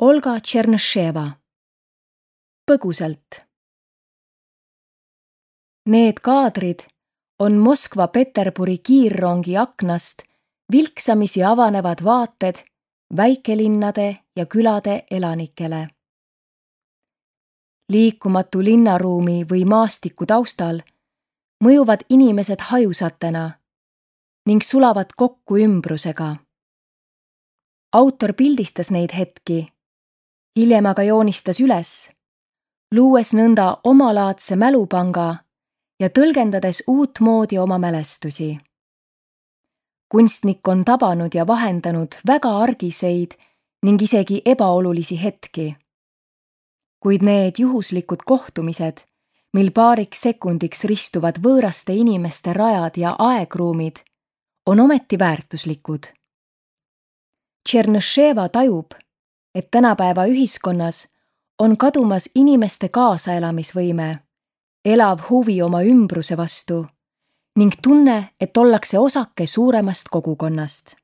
Olga Tšernoševa. Põgusalt. Need kaadrid on Moskva-Peterburi kiirrongi aknast vilksamisi avanevad vaated väikelinnade ja külade elanikele. Liikumatu linnaruumi või maastiku taustal mõjuvad inimesed hajusatena ning sulavad kokku ümbrusega. Autor pildistas neid hetki, hiljem aga joonistas üles, luues nõnda omalaadse mälupanga ja tõlgendades uutmoodi oma mälestusi. Kunstnik on tabanud ja vahendanud väga argiseid ning isegi ebaolulisi hetki. Kuid need juhuslikud kohtumised, mil paariks sekundiks ristuvad võõraste inimeste rajad ja aegruumid, on ometi väärtuslikud. Tšernoševa tajub, et tänapäeva ühiskonnas on kadumas inimeste kaasaelamisvõime, elav huvi oma ümbruse vastu ning tunne, et ollakse osake suuremast kogukonnast.